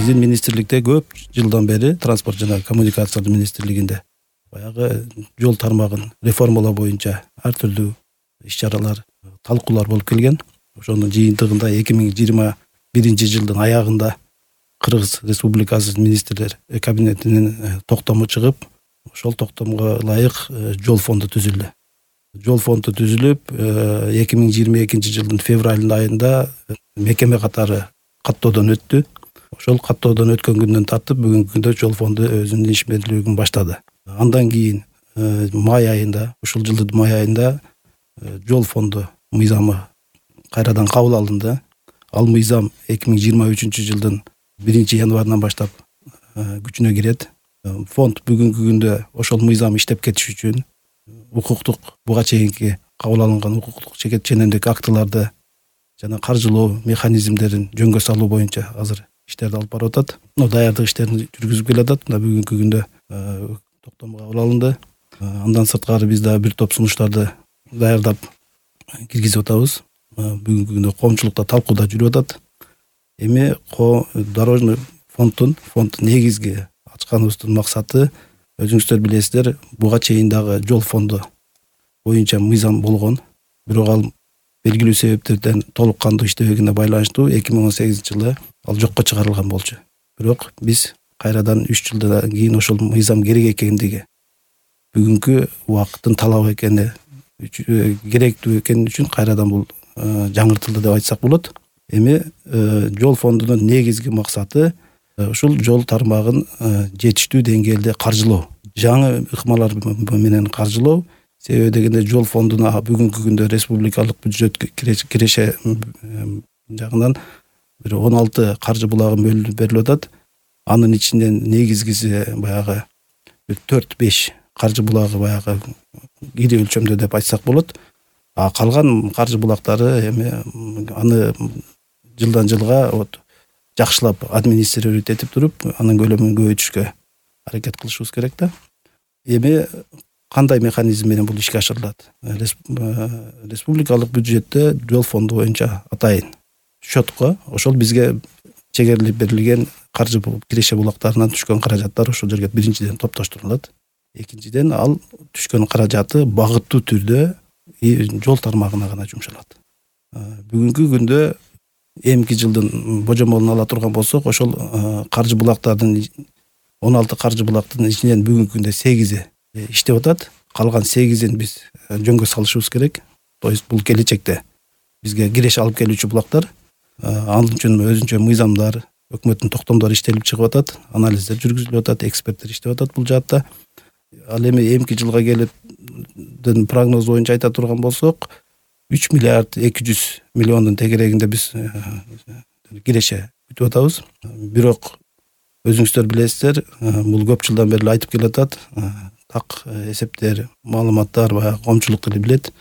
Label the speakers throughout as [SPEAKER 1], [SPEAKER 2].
[SPEAKER 1] Биздин министрликте көп жылдан бери транспорт жана коммуникациялар министрлигинде баягы жол тармагын реформалоо боюнча ар түрдүү иш-чаралар, талкуулар болуп келген. Ошонун жыйынтыгында 2021 жылдын аягында Кыргыз Республикасы министрлер кабинетинин токтому чыгып, ошол токтомго ылайык жол фонду түзүлдү. Жол фонду түзүлүп, 2022 жылдын февраль айында мекеме катары каттоодон өттү. Ошол каттоодон өткөн күндөн тартып бүгүнкү күндө жол фонду өзүнүн ишмердүүлүгүн баштады. Андан кийин май айында, ушул жылдын май айында жол фонду мыйзамы кайрадан кабыл алынды. Ал мыйзам 2023 жылдын 1-январынан баштап күчүнө кирет. Фонд бүгүнкү күндө ошол мыйзам иштеп кетиш үчүн укуктук буга чейинки кабыл алынган укуктук ченемдик актыларды жана каржылоо механизмдерин жөнгө салуу боюнча азыр иштерди алып барып атат. Даярдык иштерин жүргүзүп келатат. Бүгүнкү күндө токтом кабыл алынды. Андан сырткары биз дагы бир топ сунуштарды даярдап киргизип атабыз. Бүгүнкү күндө коомчулукта талкууда жүрүп атат. Эми дорожный фонд негизги ачканыбыздын максаты, өзүңүздөр билесиздер, буга чейин дагы жол фонду боюнча мыйзам болгон. Бирок ал белгилүү себептерден толук кандуу иштебегенине байланыштуу 2018 жылы ал жокко чыгарылган болчу. Бирок биз кайрадан 3 жылдан кийин ошол мыйзам керек экендиги, бүгүнкү убакыттын талабы экени, керектүү экени үчүн кайрадан бул жаңыртылды деп айтсак болот. Эми жол фондунун негизги максаты ушул жол тармагын жетиштүү деңгээлде каржылоо, жаңы ыкмалар менен каржылоо. Себеби дегенде жол фондуна бүгүнкү күндө республикалык бюджет киреше жагынан бир 16 каржы булагы берилип атат. Анын ичинен негизгиси баягы 4-5 каржы булагы баягы ири өлчөмдө деп айтсак болот. А калган каржы булактары эми аны жылдан жылга жакшылап администрировать этип туруп, анын көлөмүн көбөйтүшкө аракет кылышыбыз керек да. Эми кандай механизм менен бул ишке ашырылат? Республикалык бюджетте жол фонду боюнча атайын счетко ошол бизге чегерилип берилген каржы киреше булактарынан түшкөн каражаттар ошол жерге биринчиден топтоштурулат. Экинчиден ал түшкөн каражаты багыттуу түрдө жол тармагына гана жумшалат. Бүгүнкү күндө эмки жылдын божомолун ала турган болсок, ошол каржы булактардын 16 каржы булактын ичинен бүгүнкү күндө 8 иштеп атат. Калган 8-ин биз жөнгө салышыбыз керек. То есть бул келечекте бизге киреше алып келүүчү булактар. Ал үчүн өзүнчө мыйзамдар, өкмөттүн токтомдору иштелип чыгып атат, анализдер жүргүзүлүп атат, эксперттер иштеп атат бул жаатта. Ал эми эмки жылга келип прогноз боюнча айта турган болсок, 3 миллиард 200 миллиондун тегерегинде биз киреше күтүп атабыз. Бирок өзүңүздөр билесиздер, бул көп жылдан бери айтып келатат. Так эсептер, маалыматтар баягы коомчулук деле билет.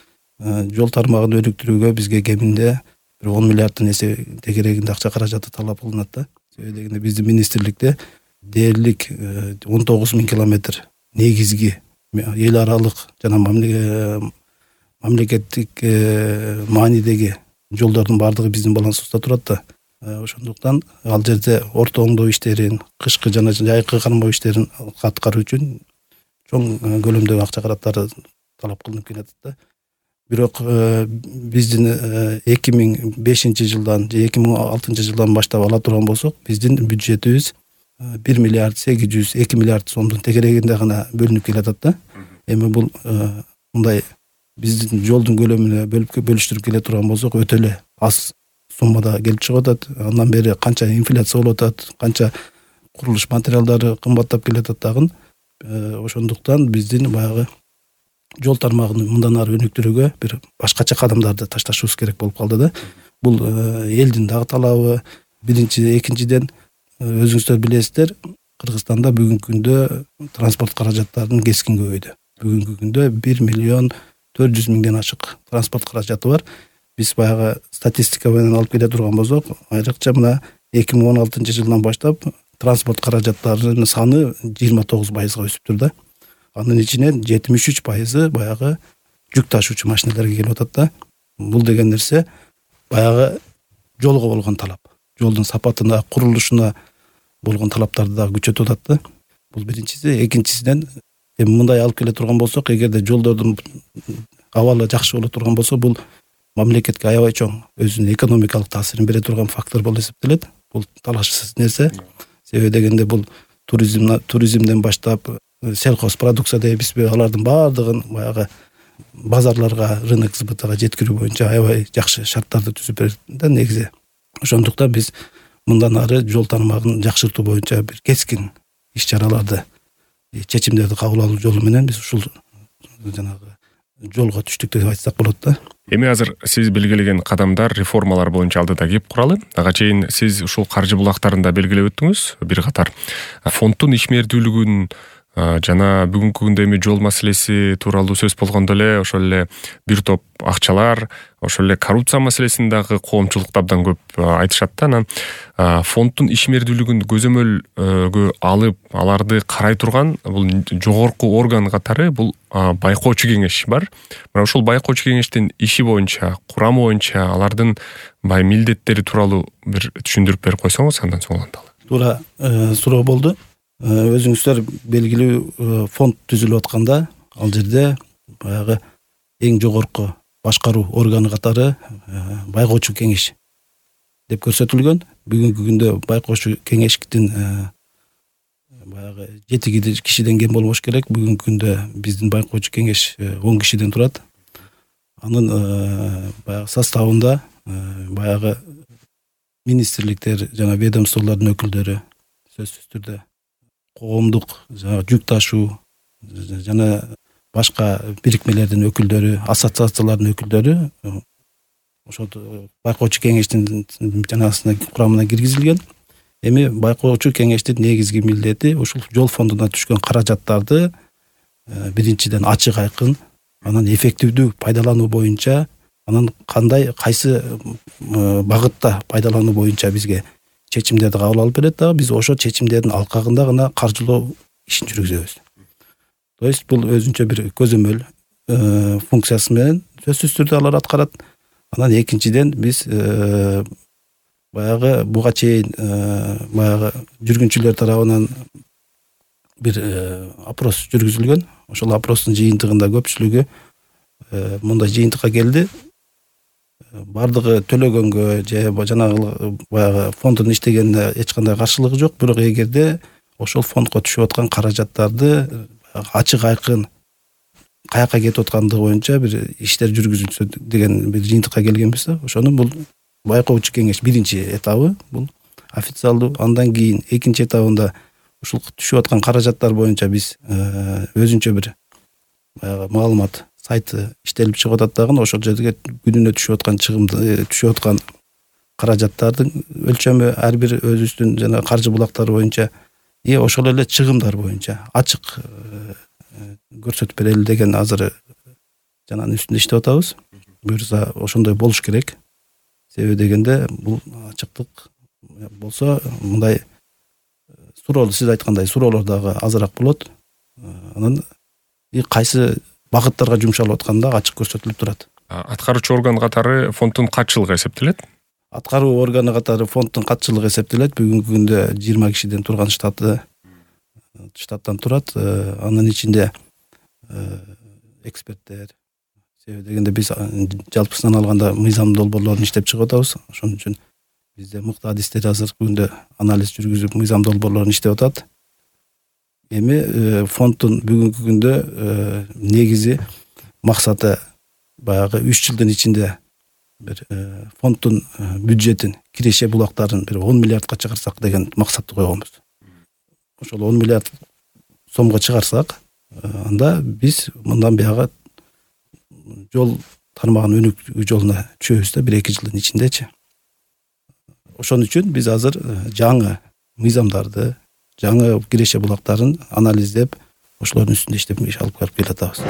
[SPEAKER 1] Жол тармагын өнүктүрүүгө бизге кеминде 10 миллиардтын тегерегинде акча каражаты талап кылынат да. Себеби дегенде биздин министрликте дээрлик 19 000 километр негизги эл аралык жана мамлекеттик маанидеги жолдордун баардыгы биздин балансыбызда турат да. Ошондуктан ал жерде орто оңдоо иштерин, кышкы жана жайкы кармоо иштерин аткаруу үчүн чоң көлөмдөгү акча каражаттары талап кылынып келатат да. Бирок биздин 2005 жылдан же 2006 жылдан баштап ала турган болсок, биздин бюджетибиз 1 миллиард 800 2 миллиард сомдун тегерегинде гана бөлүнүп келатат да. Эми бул мындай биздин жолдун көлөмүнө бөлүштүрүп келе турган болсок, өтө эле аз суммада келип чыгып атат. Андан бери канча инфляция болуп атат, канча курулуш материалдары кымбаттап келатат дагы. Ошондуктан биздин баягы жол тармагын мындан ары өнүктүрүүгө бир башкача кадамдарды ташташыбыз керек болуп калды да. Бул элдин дагы талабы. Экинчиден өзүңүздөр билесиздер, Кыргызстанда бүгүнкү күндө транспорт каражаттарынын кескин көбөйдү. Бүгүнкү күндө 1 миллион 400 миңден ашык транспорт каражаты бар. Биз баягы статистика менен алып келе турган болсок, айрыкча мына 2016 жылдан баштап транспорт каражаттарынын саны 29% өсүптүр да. Анын ичинен 73% баягы жүк ташуучу машиналарга келип атат да. Бул деген нерсе баягы жолго болгон талап, жолдун сапатына, курулушуна болгон талаптарды дагы күчөтүп атат да. Бул биринчиси. Экинчисинен мындай алып келе турган болсок, эгерде жолдордун абалы жакшы боло турган болсо, бул мамлекетке аябай чоң өзүнүн экономикалык таасирин бере турган фактор болуп эсептелет. Бул талашсыз нерсе. Себеби дегенде бул туризмден баштап сельхозпродукция дейбизби, алардын баардыгын баягы базарларга, рынок сбытага жеткирүү боюнча аябай жакшы шарттарды түзүп берет да негизи. Ошондуктан биз мындан ары жол тармагын жакшыртуу боюнча бир кескин иш-чараларды, чечимдерди кабыл алуу жолу менен биз ушул жанагы жолго түштүк деп айтсак болот да.
[SPEAKER 2] Эми азыр сиз белгилеген кадамдар, реформалар боюнча алдыда кеп куралы. Ага чейин сиз ушул каржы булактарын да белгилеп өттүңүз. Бир катар фонддун ишмердүүлүгүн жана бүгүнкү күндө эми жол маселеси тууралуу сөз болгондо эле ошол эле бир топ акчалар, ошол эле коррупция маселесин дагы коомчулукта абдан көп айтышат да. Анан фонддун ишмердүүлүгүн көзөмөлгө алып, аларды карай турган бул жогорку орган катары бул байкоочу кеңеш бар. Мына ушул байкоочу кеңештин иши боюнча, курамы боюнча, алардын милдеттери тууралуу бир түшүндүрүп берип койсоңуз, андан соң уланталы.
[SPEAKER 1] Туура суроо болду. Өзүңүздөр белгилүү фонд түзүлүп атканда, ал жерде баягы эң жогорку башкаруу органы катары байкоочу кеңеш деп көрсөтүлгөн. Бүгүнкү күндө байкоочу кеңештин баягы 7 кишиден кем болбош керек. Бүгүнкү күндө биздин байкоочу кеңеш 10 кишиден турат. Анын баягы составында баягы министрликтер жана ведомстволордун өкүлдөрү, сөзсүз түрдө коомдук жүк ташуу жана башка бирикмелердин өкүлдөрү, ассоциациялардын өкүлдөрү ошол байкоочу кеңештин жанагысына курамына киргизилген. Эми байкоочу кеңештин негизги милдети ушул жол фондуна түшкөн каражаттарды биринчиден ачык айкын, анан эффективдүү пайдалануу боюнча, анан кайсы багытта пайдалануу боюнча бизге чечимдерди кабыл алып берет дагы. Биз ошол чечимдердин алкагында гана каржылоо ишин жүргүзөбүз. То есть бул өзүнчө бир көзөмөл функциясы менен сөзсүз түрдө алар аткарат. Анан экинчиден биз баягы буга чейин баягы жүргүнчүлөр тарабынан бир опрос жүргүзүлгөн. Ошол опростун жыйынтыгында көпчүлүгү мындай жыйынтыкка келди. Бардыгы төлөгөнгө же жанагы баягы фонддун иштегенине эч кандай каршылыгы жок, бирок эгерде ошол фондко түшүп аткан каражаттарды ачык айкын каяка кетип аткандыгы боюнча бир иштер жүргүзүлсө деген бир жыйынтыкка келгенбиз да. Ошону бул байкоочу кеңеш биринчи этабы бул официалдуу. Андан кийин экинчи этабында ушул түшүп аткан каражаттар боюнча биз өзүнчө бир баягы маалымат сайты иштелип чыгып атат дагы. Ошол жерге күнүнө түшүп аткан чыгымды, түшүп аткан каражаттардын өлчөмү ар бир өзүбүздүн жана каржы булактары боюнча ошол эле чыгымдар боюнча ачык көрсөтүп берели деген азыр жананын үстүндө иштеп атабыз. Буюрса ошондой болуш керек. Себеби дегенде бул ачыктык болсо мындай суроолор, сиз айткандай суроолор дагы азыраак болот. Анан кайсы багыттарга жумшалып атканда ачык көрсөтүлүп турат.
[SPEAKER 2] Аткаруучу орган катары фонддун катчылыгы эсептелет?
[SPEAKER 1] Аткаруу органы катары фонддун катчылыгы эсептелет. Бүгүнкү күндө 20 кишиден турган штаттан турат. Анын ичинде эксперттер, себеби дегенде биз жалпысынан алганда мыйзам долбоорлорун иштеп чыгып атабыз. Ошон үчүн бизде мыкты адистер азыркы күндө анализ жүргүзүп мыйзам долбоорлорун иштеп атат. Эми фонддун бүгүнкү күндө негизи максаты баягы 3 жылдын ичинде бир фонддун бюджетин, киреше булактарын бир 10 миллиардка чыгарсак деген максатты койгонбуз. Ошол 10 миллиард сомго чыгарсак, анда биз мындан бuyog'ы жол тармагын өнүктүү жолуна түшөбүз да 1-2 жылдын ичиндечи. Ошон үчүн биз азыр жаңы мыйзамдарды, жаңы киреше булактарын анализдеп, ошолордун үстүндө иштеп иш алып келип атабыз.